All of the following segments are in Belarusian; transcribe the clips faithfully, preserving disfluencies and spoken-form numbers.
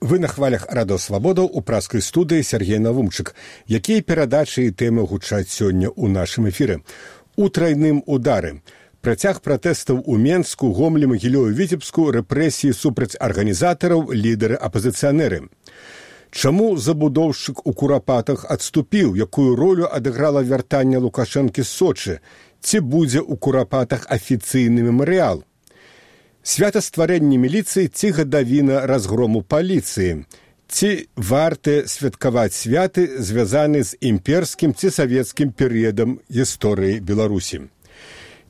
Вы на хвалях радыёслабодаў у праскай студыі Сергей Навумчык. Якія перадачы і тэмы гучаць сёння ў нашым эфіры? У трайным удары. Працяг пратэстаў у Менску, Гомлі, Магілёве, Віцебску, рэпрэсіі супраць арганізатараў, лідары апазіцыянеры. Чаму забудоўшчык у Курапатах адступіў? Якую ролю адыграла вяртанне Лукашэнкі з Сочы? Ці будзе ў Курапатах афіцыйны мемарыял? Свята стварэння міліцыі ці гадавіна разгрому паліцыі? Ці варта святкаваць святы, звязаны з імперскім ці савецкім перыядам гісторыі Беларусі?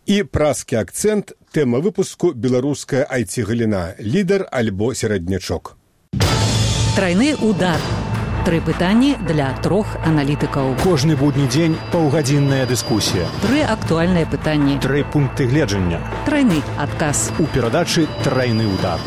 І праскі акцэнт, тэма выпуску беларуская ай ти-галіна, лідар альбо сераднячок. Трайны удар. Тры пытанні для трох аналітыкаў. Кожны будні дзень паўгадзінная дыскусія. Тры актуальныя пытанні. Тры пункты гледжання. Трайны адказ. У перадачы «Трайны удар».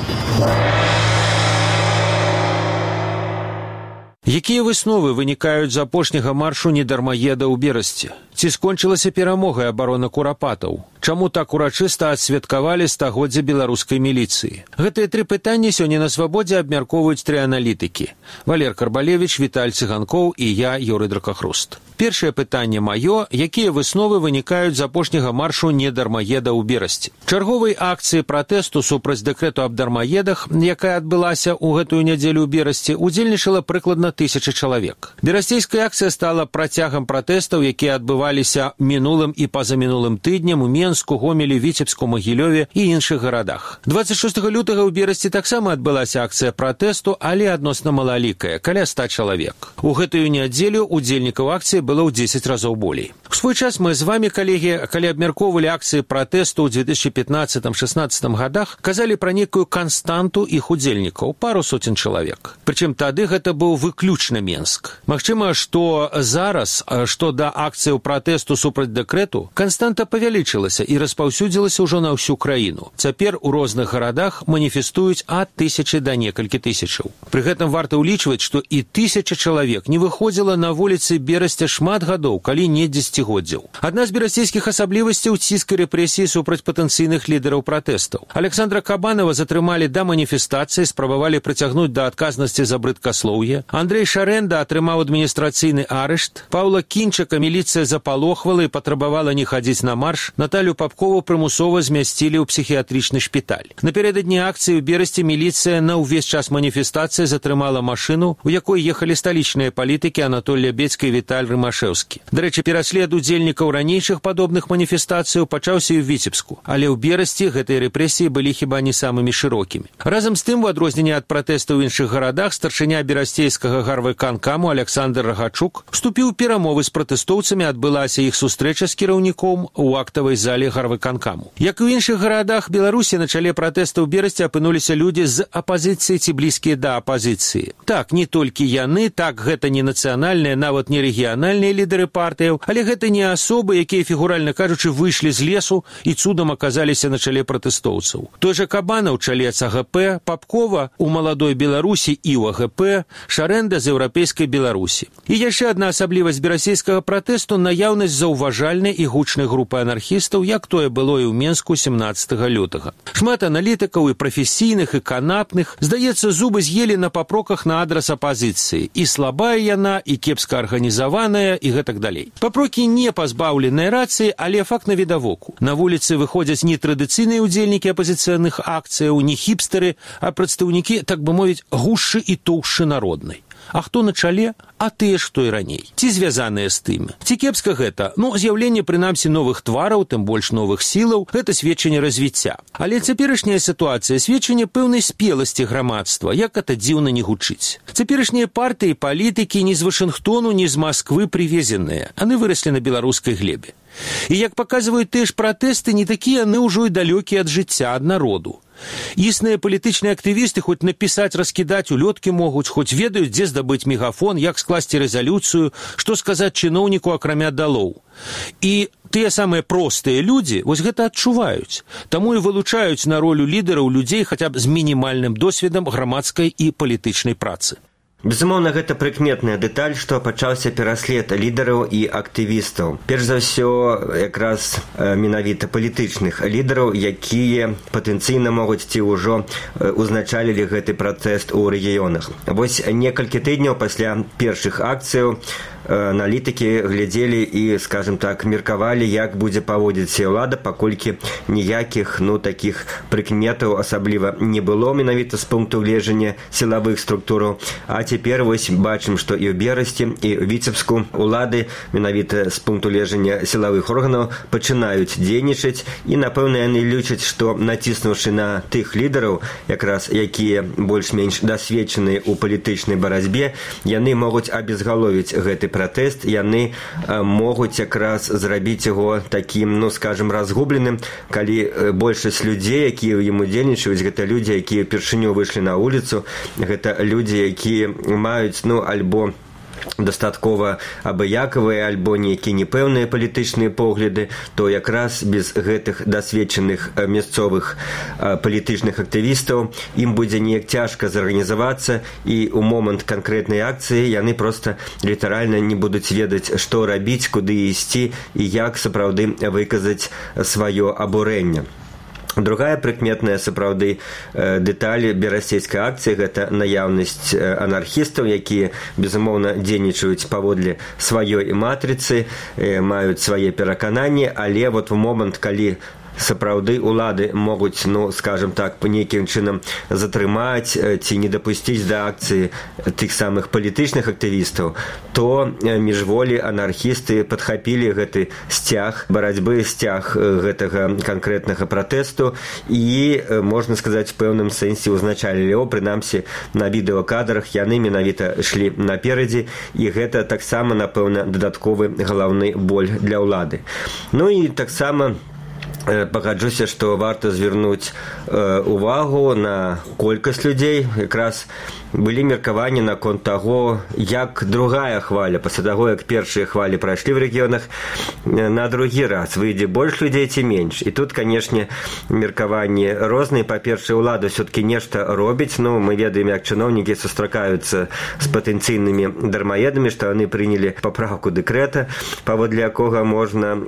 Якія высновы вынікаюць з апошняга маршу недармаеда ў Берасці? Ці скончылася перамогай абарона Курапатаў? Чаму так урачыста адсвяткавалі стагоддзе беларускай міліцыі? Гэтыя тры пытанні сёння на свабодзе абмяркоўваюць тры аналітыкі. Валер Карбалевіч, Віталь Цыганкоў і я, Юрый Дракахруст. Першае пытанне маё, якія высновы вынікаюць з апошняга маршу недармаеда ў Берасці? Чарговай акцыі пратэсту супраць дэкрэту аб дармаедах, якая адбылася ў гэтую нядзелю ў Берасці, удзельнічала прыкладна тысяча чалавек. Берасцейская акцыя стала працягам пратэстаў, якія адбываліся мінулым і пазамінулым тыднем у Менску, Гомелі, Віцебску, Магілёве і іншых гарадах. дваццаць шостага лютага ў Берасці таксама адбылася акцыя пратэсту, але адносна малалікая, каля ста чалавек. У гэтую нядзелю удзельнікаў акцыі было ў дзесяць разоў болей. У свой час мы з вамі, калегі, калі абмяркоўвалі акцыі пратэсту ў дзве тысячы пятнаццатым шаснаццатым гадах, казалі пра некую канстанту іх удзельнікаў, пару соцень чалавек. Прычым тады гэта быў выключна Менск. Магчыма, што зараз, што да акцыяў пратэсту супраць дэкрэту, канстанта павялічылася і распаўсюдзілася ўжо на ўсю краіну. Цяпер у розных гарадах маніфестуюць ад тысячы да некалькі тысячаў. Пры гэтым варта ўлічваць, што і тысяча чалавек не выходзіла на вуліцы Берасця шмат гадоў, калі не дзесяцігоддзяў. Адна з берасцейскіх асаблівасцяў ціск і рэпрэсіі супраць патэнцыйных лідараў пратэстаў. Александра Кабанова затрымалі да маніфестацыі, спрабавалі прыцягнуць да адказнасці за брыдкаслоўе. Андрэй Шарэнда атрымаў адміністрацыйны арышт. Паўла Кінчака міліцыя запалохвала і патрабавала не хадзіць на марш. Наталю Папкову прымусова змясцілі ў псіхіятрычны шпіталь. Напярэдадні акцыі ў Берасці міліцыя на ўвесь час маніфестацыі затрымала машыну, у якой ехалі сталічныя палітыкі Анатоль Лябедзька і Віталь Рымашэўскі. Дарэчы, пераслед удзельнікаў ранейшых падобных маніфестацыяў пачаўся і ў Віцебску, але ў Берасці гэтыя рэпрэсіі былі хіба не самымі шырокімі. Разам з тым, у адрозненне ад пратэстаў у іншых гарадах, старшыня берасцейскага гарвыканкаму Александр Рагачук вступіў у перамовы з пратэстоўцамі, адбылася іх сустрэча з кіраўніком у актавай зале гарвыканкаму. Як і ў іншых гарадах Беларусі, на чале пратэстаў у Берасці апынуліся людзі з апазіцыі ці блізкія да апазіцыі. Так, не толькі яны, так, гэта не нацыянальныя, нават не рэгіянальныя лідары партыяў, але гэта не асобы, якія, фігуральна кажучы, выйшлі з лесу і цудам аказаліся на чале пратэстоўцаў. Той жа Кабана ў чале ЦГП, Папкова у маладой Беларусі і ў АГП, Шарэнда з еўрапейскай Беларусі. І яшчэ адна асаблівасць берасцейскага пратэсту — наяўнасць заўважальнай і гучнай групы анархістаў, як тое было і ў Менску сямнаццатага лютага. Шмат аналітыкаў і прафесійных, і канапных, здаецца, зубы з'елі на папроках на адрас апазіцыі. І слабая яна, і кепска арганізаваная, і гэтак далей. Папрокі не пазбаўленыя рацыі, але факт навідавоку. На вуліцы выходзяць не традыцыйныя удзельнікі апазіцыйных акцыяў, не хіпстары, а прадстаўнікі, так бы мовіць, гушшы і тоўшчы народнай. А хто на чале? А тыя ж, што і раней. Ці звязаныя з тым. Ці кепска гэта? Ну, з'яўленне, прынамсі, новых твараў, тым больш новых сілаў, гэта сведчанне развіцця. Але цяперашняя сітуацыя — сведчанне пэўнай спеласці грамадства, як гэта дзіўна не гучыць. Цяперашнія партыі, палітыкі ні з Вашынгтону, ні з Масквы прывезеныя. Яны выраслі на беларускай глебе. І, як паказваюць тыя ж пратэсты, не такія яны ўжо і далёкія ад жыцця, ад народу. Існыя палітычныя актывісты хоць напісаць, раскідаць улёткі могуць, хоць ведаюць, дзе здабыць мегафон, як скласці рэзалюцыю, што сказаць чыноўніку акрамя далоў. І тыя самыя простыя людзі вось гэта адчуваюць. Таму і вылучаюць на ролю лідараў людзей хаця б з мінімальным досведам грамадскай і палітычнай працы. Безумоўна, гэта прыкметная дэталь, што пачаўся пераслед лідараў і актывістаў. Перш за ўсё, якраз менавіта палітычных лідараў, якія патэнцыйна могуць ці ўжо узначалілі гэты пратэст у рэгіёнах. Вось некалькі тыдняў пасля першых акцыяў аналітыкі глядзелі і, скажем так, меркавалі, як будзе паводзіць ўлада, паколькі ніякіх, ну, такіх прыкметаў асабліва не было менавіта з пункту гледжання сілавых структураў. А цяпер вось бачым, што і ў Берасці, і ў Віцебску улады менавіта з пункту гледжання сілавых органаў пачынаюць дзейнічаць, і, напэўна, яны лічаць, што націснуўшы на тых лідараў, якраз якія больш-менш дасведчаныя ў палітычнай барацьбе, яны могуць абезгаловіць гэты пратэст, яны могуць якраз зрабіць яго такім, ну, скажем, разгубленым, калі большасць людзей, якія ў ім удзельнічаюць, гэта людзі, якія ўпершыню выйшлі на вуліцу, гэта людзі, якія маюць, ну, альбо дастаткова абыякавыя, альбо нейкія непэўныя палітычныя погляды, то якраз без гэтых дасведчаных мясцовых палітычных актывістаў ім будзе неяк цяжка зарганізавацца, і ў момант канкрэтнай акцыі яны проста літаральна не будуць ведаць, што рабіць, куды ісці і як сапраўды выказаць сваё абурэнне. Другая прыкметная сапраўды дэталь берасцейскай акцыі – гэта наяўнасць анархістаў, якія, безумоўна, дзейнічаюць паводле сваёй матрыцы, маюць свае перакананні, але вот у момант, калі сапраўды улады могуць, ну, скажем так, по нейкім чынам затрымаць ці не дапусціць да акцыі тых самых палітычных актывістаў, то міжволі анархісты падхапілі гэты сцяг барацьбы, сцяг гэтага канкрэтнага пратэсту і, можна сказаць, в пэўным сэнсе узначалілі яго, прынамсі на відэакадрах яны менавіта ішлі наперадзе, і гэта таксама, напэўна, дадатковы галаўны боль для ўлады. Ну і таксама пагаджуся, што варта звярнуць увагу на колькасць людзей. Якраз былі меркаванні наконт таго, як другая хваля, пасля таго, як першыя хвалі прайшлі ў рэгіёнах, на другі раз выйдзе больш людзей ці менш. І тут, канешне, меркаванні розныя. Па-першае, ўлада ўсё-такі нешта робіць. Ну, мы ведаем, як чыноўнікі сустракаюцца з патэнцыйнымі дармаедамі, што яны прынялі папраўку дэкрэта, паводле якога можна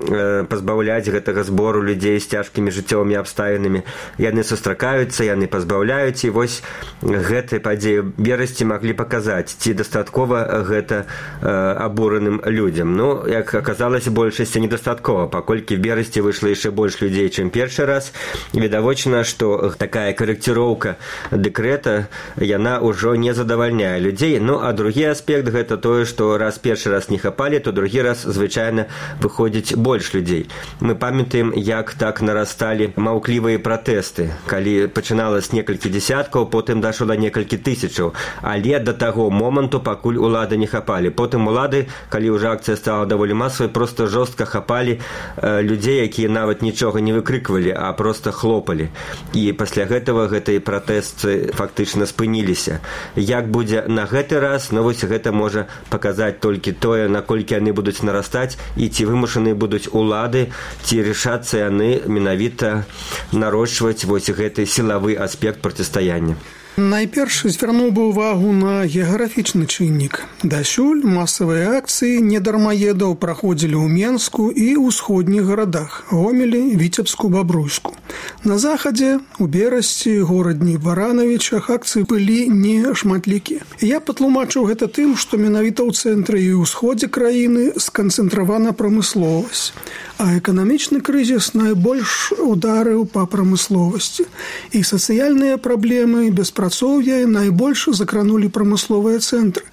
пазбаўляць гэтага збору людзей з цяжкімі жыццёвымі абставінамі. Яны сустракаюцца, яны пазбаўляюць, і вось гэтыя падзеі Берасці маглі паказаць, ці дастаткова гэта э, абураным людзям. Ну, як аказалася, большасці недастаткова, паколькі в Берасці выйшла яшчэ больш людзей, чым першы раз. Відавочна, што такая карэкціроўка дэкрэта, яна ўжо не задавальняе людзей. Ну, а другі аспект гэта тое, што раз першы раз не хапалі, то другі раз звычайна выходзіць больш людзей. Мы памятаем, як так нарасталі маўклівыя пратэсты, калі пачыналася некалькі дзесяткаў, потым дайшло да некалькі тысячаў. Але да таго моманту, пакуль улады не хапалі. Потым улады, калі ўжо акцыя стала даволі масавай, проста жорстка хапалі э, людзей, якія нават нічога не выкрыквалі, а проста хлопалі. І пасля гэтага гэтыя пратэсты фактычна спыніліся. Як будзе на гэты раз, ну вось гэта можа паказаць толькі тое, наколькі яны будуць нарастаць, і ці вымушаны будуць улады, ці рашацца яны менавіта нарошчваць вось гэты сілавы аспект процістаяння. Найперш звярнуў бы ўвагу на геаграфічны чыннік. Дасюль масавыя акцыі недармаедаў праходзілі ў Менску і ўсходніх гарадах – Гомелі, Віцебску, Бабруйску. На захадзе, у Берасці, горадні Баранавічах акцыі былі не шматлікія. Я патлумачыў гэта тым, што менавіта ў цэнтры і ўсходзе краіны сканцэнтравана прамысловасць, а эканамічны крызіс найбольш ударыў па прамысловасці. І сацыяльныя праблемы, беспрацоўе найбольш закранулі прамысловыя цэнтры.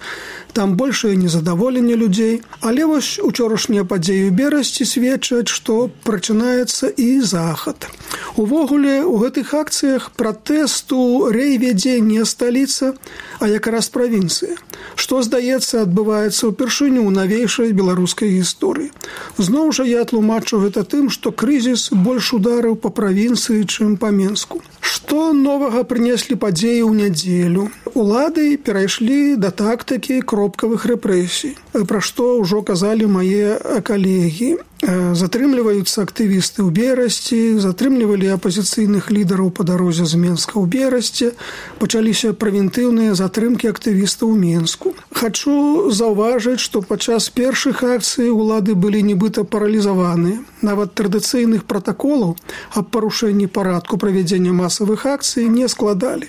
Там большае незадаволенне людзей. Але вось учорашнія падзеі ў Берасці сведчаць, што прачынаецца і захад. Увогуле, у гэтых акцыях пратэсту рэй вядзе не сталіца, а якраз правінцыя, што, здаецца, адбываецца ўпершыню ў навейшай беларускай гісторыі. Зноў жа я тлумачу гэта тым, што крызіс больш ударыў па правінцыі, чым па Менску. Што новага прынеслі падзеі ў нядзелю? Улады перайшлі да тактыкі кропкавых рэпрэсій, пра што ўжо казалі мае калегі. Затрымліваюцца актывісты ў Берасці, затрымлівалі апазіцыйных лідараў па дарозе з Менска ў Берасці, пачаліся прэвентыўныя затрымкі актывістаў у Менску. Менску. Хачу заўважыць, што падчас першых акцый улады былі нібыта паралізаваныя. Нават традыцыйных пратаколаў аб парушэнні парадку правядзення масавых акцый не складалі.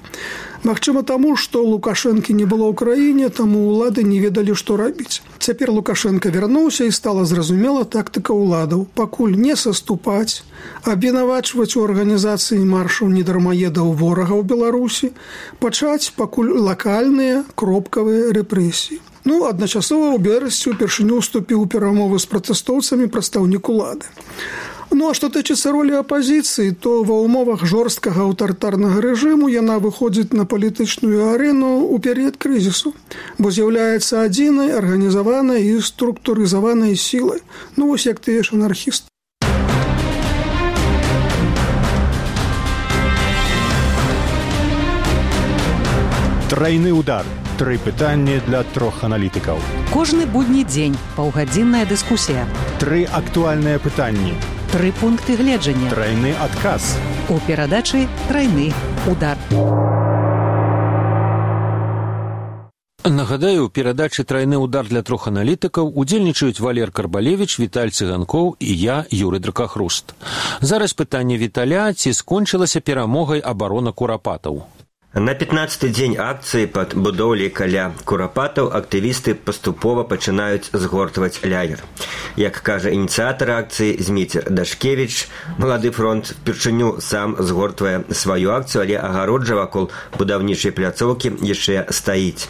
Магчыма таму, што Лукашэнкі не было ў краіне, таму ўлады не ведалі, што рабіць. Цяпер Лукашенко вярнуўся і стала зразумела тактыка ўладаў. Пакуль не саступаць, абвінавачваць у арганізацыі маршаў недармаедаў ворага ў Беларусі, пачаць пакуль лакальныя кропкавыя рэпрэсіі. Ну, адначасова ў берасці упершыню ўступіў у перамовы з пратэстоўцамі прадстаўнік улады. Ну, а што тычыцца ролі апазіцыі, то ва ўмовах жорсткага аўтарытарнага рэжыму яна выходзіць на палітычную арэну ў перыяд крызісу, бо з'яўляецца адзінай арганізаванай і структурызаванай сілай. Ну, вось як тыя ж анархісты. Трайны удар. Тры пытанні для трох аналітыкаў. Кожны будні дзень паўгадзінная дыскусія. Тры актуальныя пытанні. Тры пункты гледжання. Трайны адказ. У перадачы «Трайны удар». Нагадаю, у перадачы «Трайны удар» для трох аналітыкаў удзельнічаюць Валер Карбалевіч, Віталь Цыганкоў і я, Юрый Дракахруст. Зараз пытанне Віталя, ці скончылася перамогай абарона курапатаў. На пятнадцаты дзень акцыі пад будоўляй каля курапатаў актывісты паступова пачынаюць згортваць лагер. Як кажа ініцыятар акцыі Зміцер Дашкевіч, Малады фронт впершыню сам згортвае сваю акцыю, але агароджа вакол будаўнічай пляцоўкі яшчэ стаіць.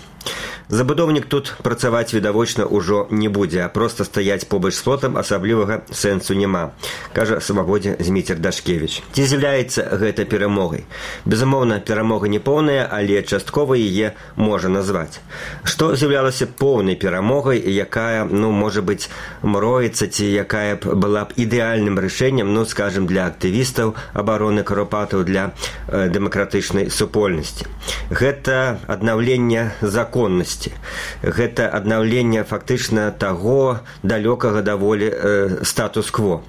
Забудоўнік тут працаваць відавочна ўжо не будзе, а проста стаяць побач з плотам асаблівага сэнсу няма, кажа самаводзе Зміцер Дашкевіч. Ці з'яўляецца гэта перамогай? Безумоўна, перамога не поўная, але часткова яе можа назваць. Што з'яўлялася поўнай перамогай, якая, ну, можа быць, мроіцца, ці якая б была б ідэальным рашэннем, ну, скажем, для актывістаў абароны курапатаў, для э, дэмакратычнай супольнасці. Гэта аднаўленне законнасці. Гэта аднаўленне фактычна таго далёкага даволі э, статус-кво.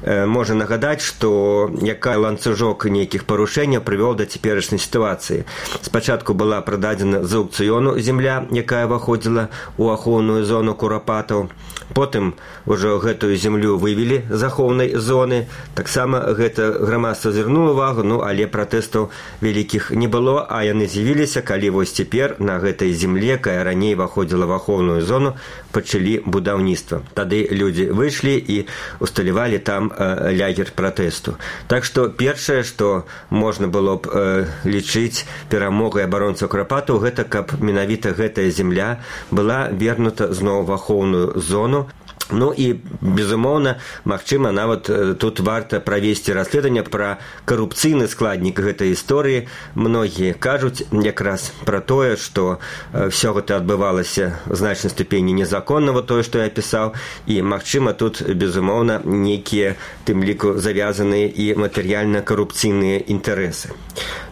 Э, можа нагадаць, што якая ланцужок нейкіх парушэнняў прывёў да цяперашняй сітуацыі. Спачатку была прададзена з аўкцыёну зямля, якая выходзіла ў ахоўную зону курапатаў. Потым ужо гэтую зямлю вывелі з ахоўнай зоны. Таксама гэта грамадства звярнула ўвагу, ну, але пратэстаў вялікіх не было, а яны з'явіліся, калі вось цяпер на гэтай земле, якая раней выходзіла в ахоўную зону, пачалі будаўніцтва. Тады людзі выйшлі і усталявалі там э, лагер пратэсту. Так што першае, што можна было б э, лічыць перамогай абаронцаў курапатаў, гэта каб менавіта гэтая земля была вернута зноў в ахоўную зону. Ну і, безумоўна, магчыма, нават тут варта правесці расследаванне пра карупцыйны складнік гэтай гісторыі. Многія кажуць якраз пра тое, што ўсё гэта адбывалася в значнай ступені незаконнага, тое, што я пісаў, і, магчыма, тут, безумоўна, нейкія, тым ліку, завязаныя і матэрыяльна-карупцыйныя інтарэсы.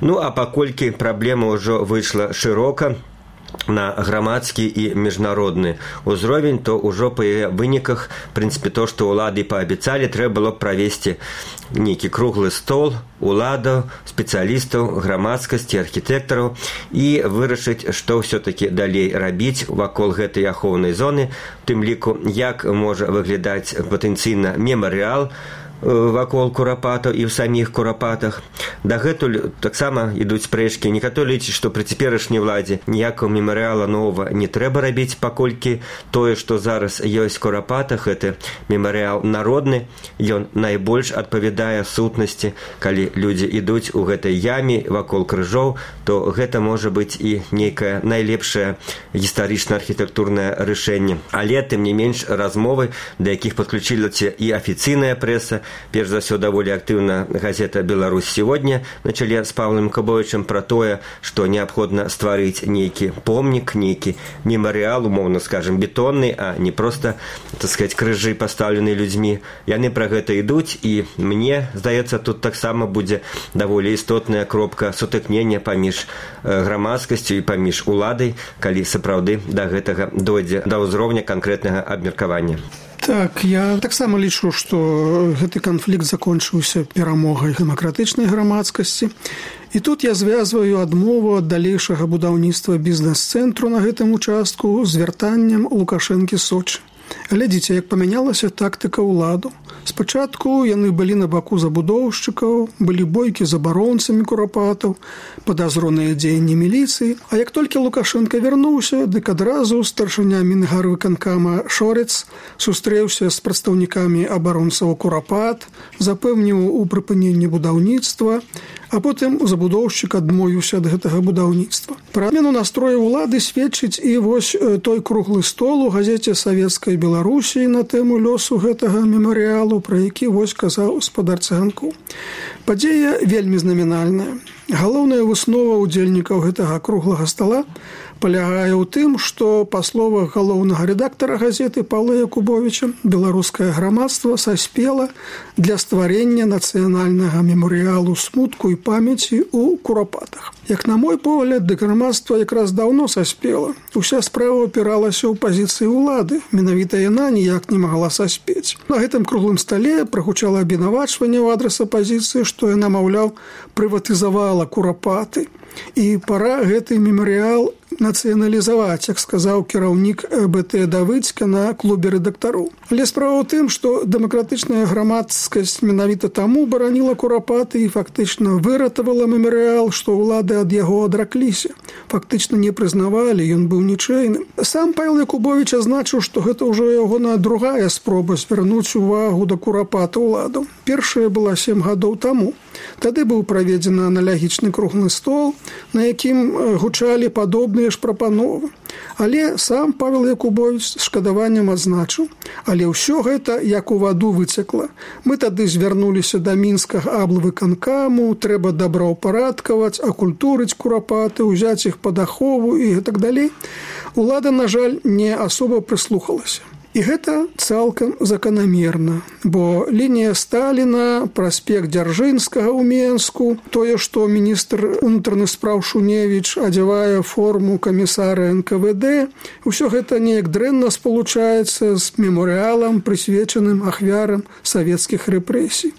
Ну, а паколькі праблема ўжо выйшла шырока на грамадскі і міжнародны ўзровень, то ўжо па яе выніках, в прынцыпе, то, што ўлады паабяцалі, трэба было правесці нейкі круглы стол уладаў, спецыялістаў, грамадскасці, архітэктараў і вырашыць, што ўсё-такі далей рабіць вакол гэтай ахоўнай зоны, тым ліку, як можа выглядаць патэнцыйна мемарыял вакол курапатаў і ў саміх курапатах. Дагэтуль таксама ідуць спрэчкі. Некаторыя лічаць, што пры цяперашняй уладзе ніякага мемарыяла новага не трэба рабіць, паколькі тое, што зараз ёсць у курапатах, гэта мемарыял народны, ён найбольш адпавядае сутнасці. Калі людзі ідуць у гэтай яме вакол крыжоў, то гэта можа быць і нейкае найлепшае гістарычна-архітэктурнае рашэнне. Але, тым не менш, размовы, да якіх падключылася і афіцыйная прэса, перш за ўсё даволі актыўна газета «Беларусь сегодня» на чале з Павлам Кабовічам пра тое, што неабходна стварыць нейкі помнік, нейкі мемарыял, умоўна скажем, бетонны, а не проста, так сказать, крыжы пастаўлены людзьмі. Яны пра гэта ідуць, і мне здаецца, тут таксама будзе даволі істотная кропка сутыкнення паміж грамадскасцю і паміж уладай, калі сапраўды да гэтага дойдзе да ўзроўня канкрэтнага абмеркавання. Так, я таксама лічу, што гэты канфлікт закончыўся перамогай дэмакратычнай грамадскасці. І тут я звязваю адмову ад далейшага будаўніцтва бізнес-цэнтру на гэтым участку з вяртаннем Лукашэнкі Сочы. Глядзіце, як памянялася тактыка ўладу. Спачатку яны былі на баку забудоўшчыкаў, былі бойкі з абаронцамі курапатаў, падазроныя дзеянні міліцыі. А як толькі Лукашенко вярнуўся, дык адразу старшыня мінгарвыканкама Шорец сустрэўся з прадстаўнікамі абаронцаў курапат, запэўніў у прыпыненні будаўніцтва, а потым забудоўшчык адмовіўся ад гэтага будаўніцтва. Пра адмену настрою ўлады сведчыць і вось той круглы стол у газеце Савецкай Беларусі на тэму лёсу гэтага мемарыялу, пра які вось казаў гаспадар Цыганкоў. Падзея вельмі знамінальная. Галоўная выснова ўдзельнікаў гэтага круглага стола палягае ў тым, што, па словах галоўнага рэдактара газеты Паўла Якубовіча, беларускае грамадства саспела для стварэння нацыянальнага мемарыялу смутку і памяці ў курапатах. Як на мой погляд, дык грамадства якраз даўно саспела. Уся справа апіралася ў пазіцыі ўлады, менавіта яна ніяк не магла саспець. На гэтым круглым стале прагучала абвінавачванне ў адрас апазіцыі, што яна, маўляў, прыватызавала курапаты. І пара гэты мемарыял нацыяналізаваць, як сказаў кіраўнік БТ Давыдзька на клубе рэдактароў. Але справа ў тым, што дэмакратычная грамадскасць менавіта таму бараніла курапаты і фактычна выратавала мемарыял, што ўлады ад яго адракліся. Фактычна не прызнавалі, ён быў нічэйным. Сам Павел Якубовіч азначыў, што гэта ўжо ягоная другая спроба звярнуць увагу да курапата ўладаў. Першая была сем гадоў таму. Тады быў праведзены аналагічны круглы стол, на якім гучалі падобныя ж прапановы. Але сам Павел Якубович з шкадаваннем адзначыў, але ўсё гэта як у ваду выцекла. Мы тады звярнуліся да мінскага аблвыканкаму, трэба добраўпарадкаваць, акультурыць курапаты, узяць іх пад ахову і гэтак далей. Улада, на жаль, не асоба прыслухалася. І гэта цалкам заканамерна, бо лінія Сталіна, праспект Дзяржынскага ў Менску, тое, што міністр унутраных спраў Шуневіч адзявае форму камісара эн ка вэ дэ, усё гэта неяк дрэнна спалучаецца з мемарыялам, прысвечаным ахвярам савецкіх рэпрэсій.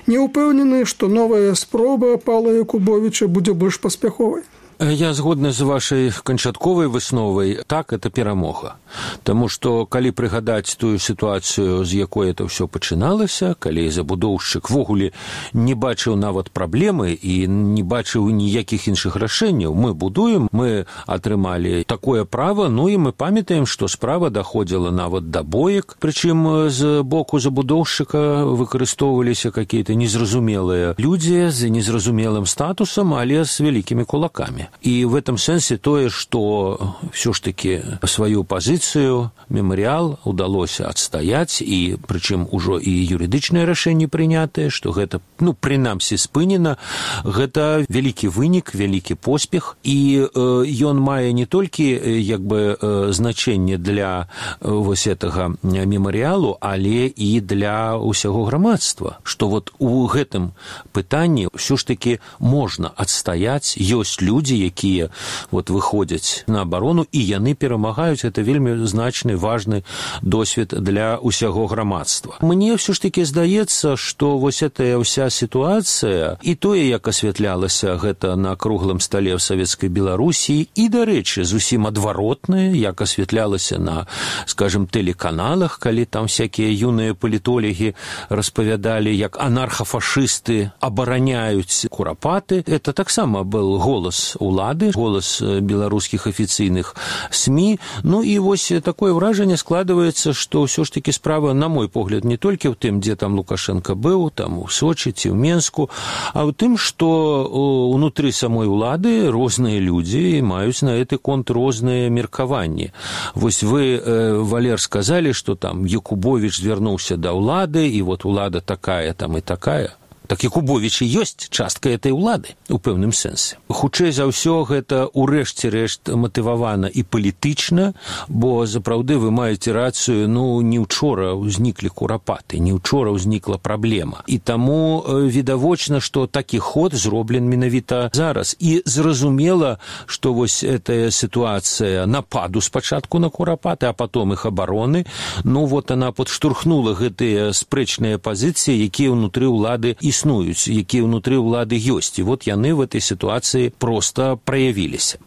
Не ўпэўнены, што новая спроба Паўла Якубовіча будзе больш паспяховай. Я згодны з вашай канчатковай высновай. Так, это перамога. Таму што, калі прыгадаць тую сітуацыю, з якой это ўсё пачыналася, калі забудоўшчык ввогуле не бачыў нават праблемы і не бачыў ніякіх іншых рашэнняў, мы будуем, мы атрымалі такое права, ну і мы памятаем, што справа даходзіла нават да боек, прычым з боку забудоўшчыка выкарыстоўваліся какие-то незразумелыя людзі з незразумелым статусам, але з вялікімі кулакамі. И в этом сенсе тое, что все ж таки свою позицию мемориал удалось отстоять, и причем уже и юридичное решение принятое, что это, ну, принамсі спынена, гэта великий вынік, великий поспех, и э, он мае не только як бы э, значение для э, вось этого мемориалу, але и для усяго грамадства, что вот у гэтым пытанні все ж таки можно отстоять, есть люди, якія вот выходзяць на абарону, і яны перамагаюць. Это вельмі значны, важны досвед для усяго грамадства. Мне все ж таки здаецца, што вось этая ўся сітуацыя, і тое, як асвятлялася гэта на круглым стале ў Савецкай Беларусі, і, дарэчы, зусім адваротнае, як асвятлялася на, скажем, тэлеканалах, калі там всякія юныя палітолагі распавядалі, як анархафашысты абараняюць курапаты. Это таксама был голас улады, голас беларускіх афіцыйных СМИ. Ну і вось такое ўражанне складываецца, што ўсё ж таки справа, на мой погляд, не толькі ў тым, дзе там Лукашенко быў, там у Сочи ці ў Менску, а ў тым, што унутры самой улады розныя людзі маюць на гэты конт розныя меркаванні. Вось вы, Валер, сказалі, што там Якубович звярнуўся да ўлады, і вот улада такая там і такая. Так і Кубовічы ёсць частка этой улады у пэўным сэнсе. Хутчэй за ўсё гэта ў рэшце рэшт матывавана і палітычна, бо запраўды вы маеце рацыю, ну не учора ўзніклі курапаты, не учора ўзнікла праблема. І таму відавочна, што такі ход зроблен менавіта зараз. І зразумела, што вось этая сітуацыя нападу спачатку на курапаты, а потом іх абароны, ну вот она подштурхнула гэтыя спрэчныя пазіцыі, якія ўнутры ўлады існуюць, якія ўнутры ўлады ёсць. І вот яны в этой сітуацыі проста праявіліся.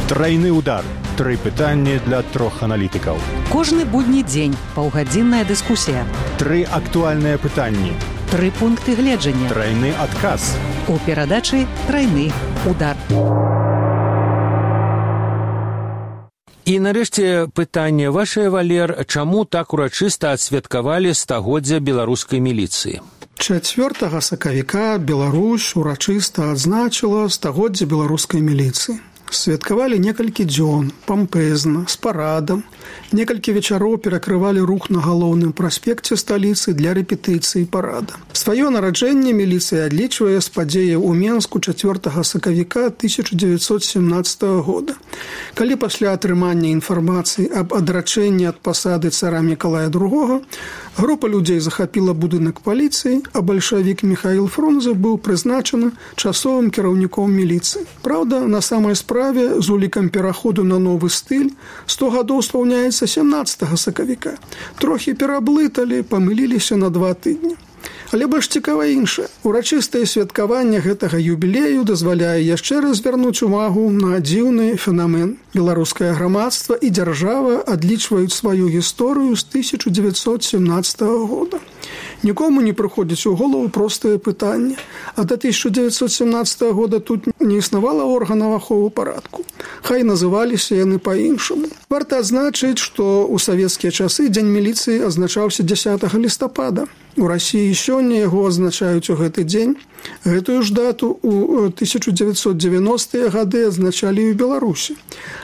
Трайны удар. Тры пытанні для трох аналітыкаў. Кожны будні дзень паўгадзінная дыскусія. Тры актуальныя пытанні. Тры пункты гледжання. Трайны адказ. У перадачы «Трайны удар». І нарэшце пытанне вашае, Валер, чаму так урачыста адсвяткавалі стагоддзя беларускай міліцыі? чацвёртага сакавіка Беларусь урачыста адзначыла стагоддзе беларускай міліцыі. Святкавалі некалькі дзён, пампезна, з парадам. Некалькі вечароў перакрывалі рух на галоўным праспекце сталіцы для рэпетыцыі парада. Сваё нараджэнне міліцыя адлічвае з падзеяў у Менску чацвёртага сакавіка тысяча дзевяцьсот семнаццатага года, калі пасля атрымання інфармацыі аб адрачэнні ад пасады цара Мікалая другога група людзей захапіла будынак паліцыі, а бальшавік Міхаіл Фрунзе быў прызначаны часовым кіраўніком міліцыі. Праўда, на самай справе з улікам пераходу на новы стыль сто гадоў спаўняецца семнаццатага сакавіка. Трохі пераблыталі, памыліліся на два тыдні. Але больш цікава іншае. Урачыстае святкаванне гэтага юбілею дазваляе яшчэ раз звярнуць увагу на дзіўны фенамен. Беларускае грамадства і дзяржава адлічваюць сваю гісторыю з тысяча дзевяцьсот семнаццатага года. Нікому не прыходзіць у голову простае пытанне. А да тысяча дзевяцьсот семнаццатага года тут не існавала органаў аховы парадку. Хай называліся яны па-іншаму. Варта адзначыць, што ў савецкія часы дзень міліцыі азначаўся дзясятага лістапада. У Расіі сёння яго адзначаюць у гэты дзень. Гэтую ж дату ў тысяча дзевяцьсот дзевяностыя гады адзначалі і ў Беларусі.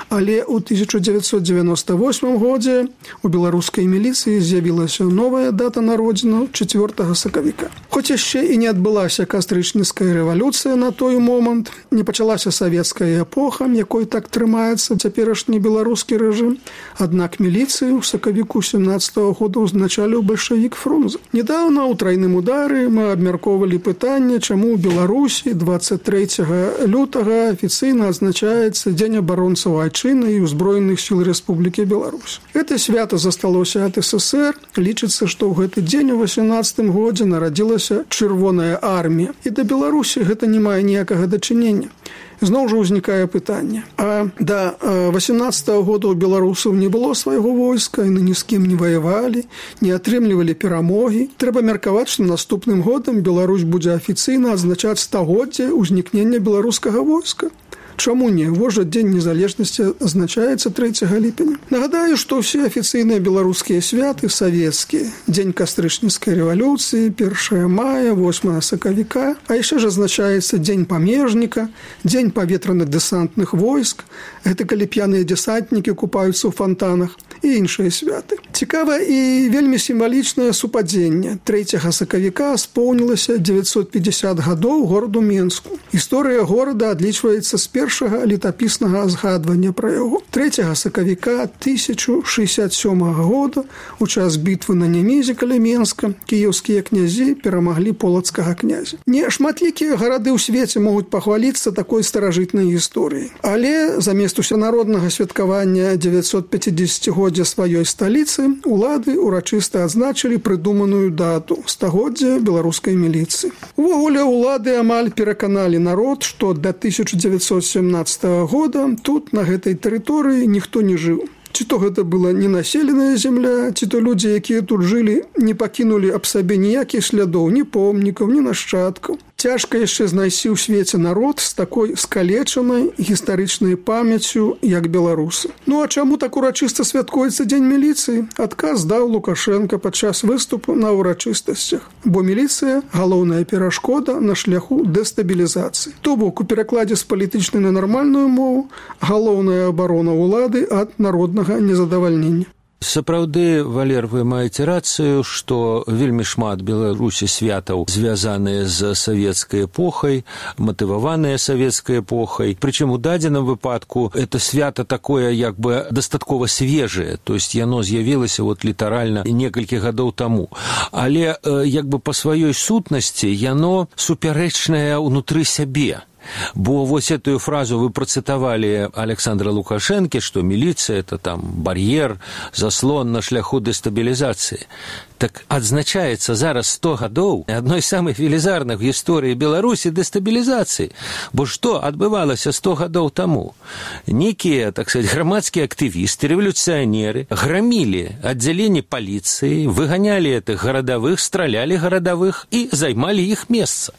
Але ў тысяча дзевяцьсот дзевяноста восьмым годзе у беларускай міліцыі з'явілася новая дата народзінаў чацвёртага сакавіка. Хоць яшчэ і не адбылася кастрычніцкая рэвалюцыя на той момант, не пачалася савецкая эпоха, якой так трымаецца цяперашні беларускі рэжым, аднак міліцыю ў сакавіку семнаццатага года ўзначаліў бальшавік Фрунзе. Недаўна ў трайным удары мы абмяркоўвалі пытанне, чаму ў Беларусі дваццаць трэцяга лютага афіцыйна адзначаецца Дзень абаронцаў айчыны і ўзброеных сіл Рэспублікі Беларусь. Гэта свята засталося ад СССР. Лічыцца, што ў гэты дзень у васемнаццатым годзе нарадзілася чырвоная армія. І да Беларусі гэта не мае ніякага дачынення. Зноў жа ўзнікае пытанне. А да васемнаццатага года ў беларусаў не было свайго войска, яны ні з кім не ваявалі, не атрымлівалі перамогі. Трэба меркаваць, што наступным годам Беларусь будзе афіцыйна адзначаць стагоддзе ўзнікнення беларускага войска. Чаму не? Вось жа Дзень незалежнасці азначаецца трэцяга ліпеня. Нагадаю, што ўсе афіцыйныя беларускія святы савецкія. Дзень кастрычніцкай рэвалюцыі, першага мая, восьмага сакавіка, а яшчэ ж азначаецца Дзень памежніка, Дзень паветраных дэсантных войск, гэта калі п'яныя дэсантнікі купаюцца ў фонтанах і іншыя святы. Цікава і вельмі сімвалічнае супадзенне. трэцяга сакавіка споўнілася дзевяцьсот пятьдесят гадоў гораду Менску. Гісторыя горада адлічваецца з першага летапіснага згадвання пра яго. трэцяга сакавіка тысяча шэсцьдзесят сёмага года у час бітвы на Немезе каля Менска кіеўскія князі перамаглі полацкага князя. Не шматлікія гарады ў свеце могуць пахваліцца такой старажытнай гісторыяй. Але замест усенароднага святкавання дзевяцьсот пяцідзесяцігоддзя сваёй сталіцы улады урачыста адзначылі прыдуманую дату стагоддзя беларускай міліцыі. Увогуле улады амаль пераканалі народ, што да тысяча дзевяцьсот семнаццатага года тут на гэтай тэрыторыі ніхто не жыў. Ці то гэта была ненаселеная земля, ці то людзі, якія тут жылі, не пакінулі аб сабе ніякіх слядоў, ні помнікаў, ні нашчадкаў. Цяжка яшчэ знайсці ў свеце народ з такой скалечанай гістарычнай памяццю, як беларусы. Ну а чаму так урачыста святкуецца дзень міліцыі? Адказ даў Лукашенко падчас выступу на ўрачыстасцях. Бо міліцыя – галоўная перашкода на шляху дэстабілізацыі. То бок, у перакладзе з палітычнай на нармальную мову – галоўная абарона ўлады ад народнага незадавальнення. Сапраўды, Валер, вы маеце рацыю, што вельмі шмат Беларусі святаў звязаныя з савецкай эпохай, матываваныя савецкай эпохай. Прычым у дадзеным выпадку это свята такое як бы дастаткова свежае, то есть яно з'явілася вот літаральна некалькі гадоў таму. Але як бы па сваёй сутнасці яно супярэчнае ўнутры сябе. Бо вось эту фразу вы працытавалі Александра Лукашэнкі, што міліцыя – это там бар'ер, заслон на шляху дэстабілізацыі. Так адзначаецца зараз сто гадоў адной з самых велізарных гісторый Беларусі дэстабілізацыі. Бо што адбывалася сто гадоў таму? Некія, так сказать, грамадскія актывісты, рэвалюцыянеры грамілі аддзяленні паліцыі, выганялі этых гарадавых, стралялі гарадавых і займалі іх месца.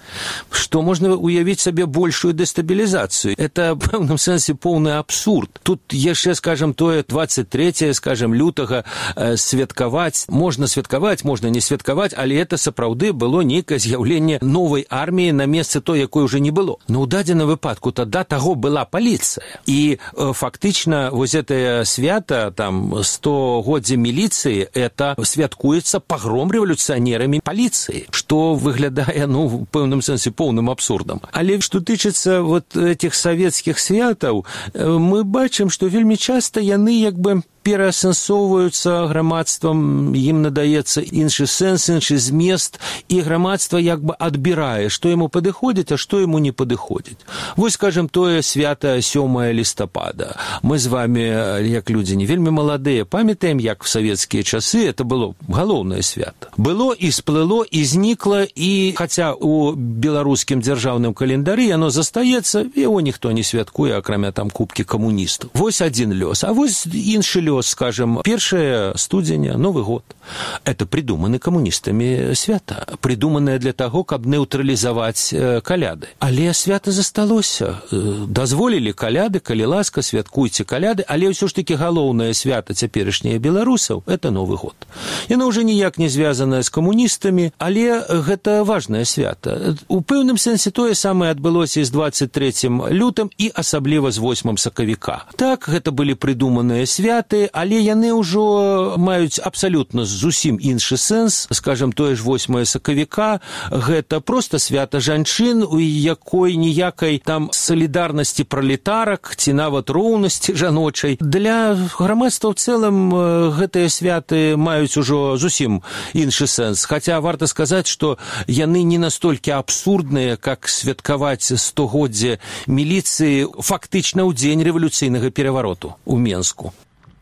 Што можна уявіць сабе большую дэстабілізацыю? Это, в пэўным сэнсе, поўны абсурд. Тут яшчэ, скажем, тое двадцать трэцяе, скажем, лютага э, святкаваць, можна святкаваць, можна не святкаваць, але это сапраўды было нейкае з'яўленне новай арміі на месцы той, якой уже не было. Но ў дадзеным выпадку тада таго была паліцыя. І э, фактычна вось гэтае свята, там, стагоддзе міліцыі, это святкуецца пагром рэвалюцыянерамі паліцыі, што выглядае, ну, в пэўным сэнсе, поўным абсурдам. Але што тычыцца вот этих савецкіх святаў, мы бачым, што вельмі часта яны як бы пераасэнсоўваюцца грамадствам, ім надаецца іншы сэнс, іншы змест, і грамадства як бы адбірае, што яму падыходзіць, а што яму не падыходзіць. Вось, скажем, тое свята сёмае лістапада. Мы з вами, як людзі не вельмі маладыя, памятаем, як в савецкія часы это было галоўнае свята. Было і сплыло, і знікла, і хаця у беларускім дзяржаўным календары яно застаецца, яго ніхто не святкуе, акрамя там кубкі камуністаў. Вось адзін лёс, а вось іншы лёс, скажем, первое студзеня, Новый год. Это придуманы камуністамі свята, придуманное для того, каб нейтралізаваць каляды. Але свята засталося. Дазволілі каляды, калі ласка, святкуйце каляды, але ўсё ж таки галоўнае свята цяперашняе беларусаў – это Новый год. Яно ўжо ніяк не звязанае з камуністамі, але гэта важнае свята. У пэўным сэнсе тое самае адбылося і з двадцать трэцім лютым і асабліва з восьмым сакавіка. Так, гэта былі придуманыя святы, але яны ўжо маюць абсалютна зусім іншы сэнс. Скажем, тое ж восьмае сакавіка – гэта проста свята жанчын, у якой ніякай там салідарнасці пралетарак ці нават роўнасці жаночай. Для грамадства ў цэлым гэтыя святы маюць ужо зусім іншы сэнс. Хаця варта сказаць, што яны не настолькі абсурдныя, как святкаваць стагоддзе міліцыі фактычна ў дзень рэвалюцыйнага перавароту ў Менску.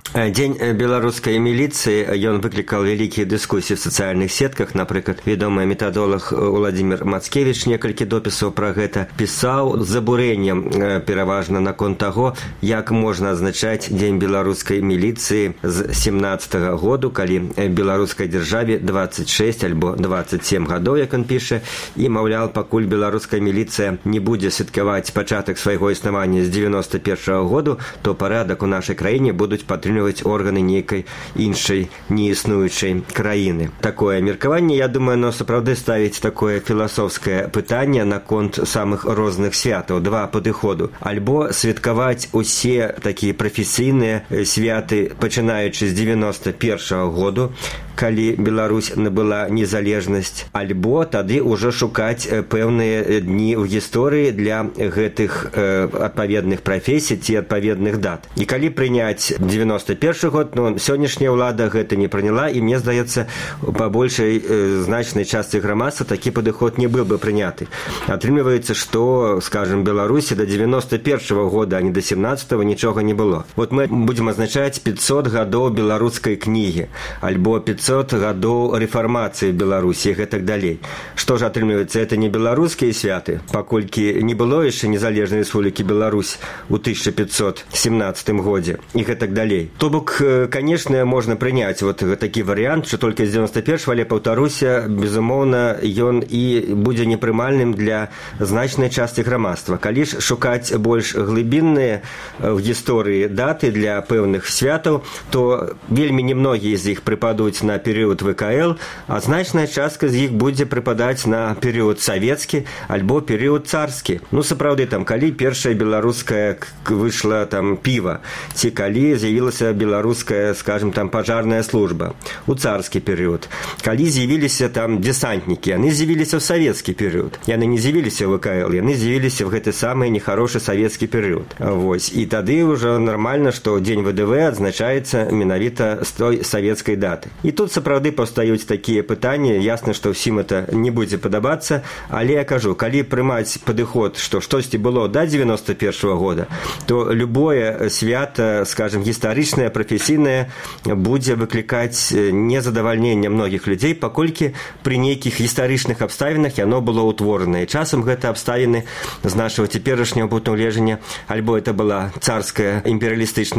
Дзень беларускай міліцыі, ён выклікаў вялікія дыскусіі в сацыяльных сетках. Напрыклад, вядомы метадолог Уладзімір Мацкевіч некалькі допісаў пра гэта пісаў з абурэннем пераважна наконт таго, як можна адзначаць дзень беларускай міліцыі з семнаццатага году, калі беларускай дзяржаве двадцать шесть альбо двадцать семь гадоў, як ён піша, і, маўляў, пакуль беларуская міліцыя не будзе святкаваць пачатак свайго існавання з девяносто першага году, то парадак у нашай краіне будуць падтрымліваць органы нейкай іншай неіснуючай краіны. Такое меркаванне, я думаю, оно сапраўды ставіць такое філасофскае пытанне наконт самых розных святаў. Два падыходу. Альбо святкаваць усе такія прафесійныя святы, пачынаючы з девяносто першага году, калі Беларусь набыла незалежнасць, альбо тады ўжо шукаць пэўныя дні ў гісторыі для гэтых э, адпаведных прафесій ці адпаведных дат. І калі прыняць девяносто першы год, ну, сённяшняя ўлада гэта не прыняла, і мне здаецца, па большай э, значнай частцы грамадства такі падыход не быў бы прыняты. Атрымліваецца, што, скажем, Беларусі до девяносто першага года, а не до семнадцатого нічога не было. Вот мы будзем азначаць пятьсот гадоў беларускай кнігі, альбо пятьсот пятьсот гадоў рэфармацыі в Беларусі і гэтак далей. Што ж атрымліваецца, это не беларускія святы, паколькі не было яшчэ незалежнай рэспублікі Беларусь у тысяча пятьсот семнадцатым годзе і гэтак далей. То бок, канешне, можна прыняць вот такі варыянт, што толькі з девяносто первого, але паўтаруся, безумоўна, ён і будзе непрымальным для значнай часткі грамадства. Калі ж шукаць больш глыбінныя в гісторыі даты для пэўных святаў, то вельмі немногія з іх прыпадуць на перыяд вэ ка эл, а значная частка з іх будзе прыпадаць на перыяд савецкі альбо перыяд царскі. Ну, сапраўды, там, калі першая беларуская выйшла там піва, ці калі з'явілася беларуская, скажем, там пажарная служба у царскі перыяд, калі з'явіліся там десантнікі, яны з'явіліся ў савецкі перыяд. Яны не з'явіліся ў вэ ка эл, яны з'явіліся в гэты самы нехарошы савецкі перыяд. Вось. І тады ўжо нармальна, што дзень вэ дэ вэ адзначаецца менавіта з той савецкай даты. І тут сапраўды паўстаюць такія пытанні, ясна, што ўсім это не будзе падабацца, але я кажу, калі прымаць падыход, што штосьці было да девяносто первого года, то любое свята, скажем, гістарычнае, прафесійнае, будзе выклікаць незадавальненне многіх людзей, паколькі пры нейкіх гістарычных абставінах яно было ўтворана. І часам гэта абставіны з нашага цяперашняга пункту гледжання, альбо это была царская імперыялістычная